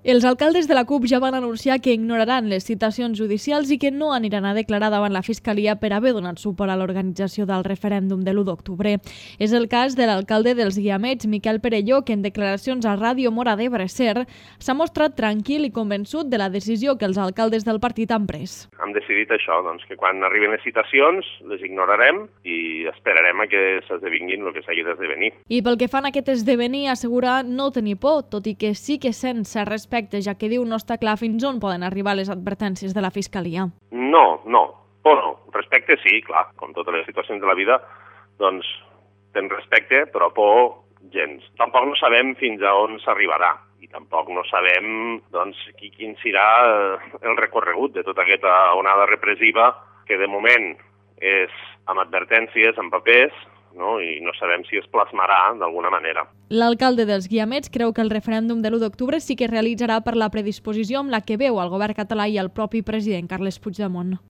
Els alcaldes de la CUP ja van anunciar que ignoraran les citacions judicials i que no aniran a declarar davant la Fiscalia per haver donat suport a l'organització del referèndum de l'1 d'octubre. És el cas de l'alcalde dels Guiamets, Miquel Perelló, que en declaracions a Ràdio Mora d'Ebre Ser s'ha mostrat tranquil i convençut de la decisió que els alcaldes del partit han pres. Hem decidit això, que quan arriben les citacions les ignorarem i esperarem a que s'esdevinguin el que s'hagi d'esdevenir. I pel que fan a aquest esdevenir, assegura no tenir por, tot i que sí que sent cert respecte, ja que diu no està clar fins on poden arribar les advertències de la Fiscalia. No, por no. Respecte sí, clar, com totes les situacions de la vida, doncs tens respecte, però por gens. Tampoc no sabem fins a on s'arribarà i tampoc no sabem quin serà el recorregut de tota aquesta onada repressiva que de moment és amb advertències, amb papers, i no sabem si es plasmarà d'alguna manera. L'alcalde dels Guiamets creu que el referèndum de l'1 d'octubre sí que es realitzarà per la predisposició amb la que veu el govern català i el propi president Carles Puigdemont.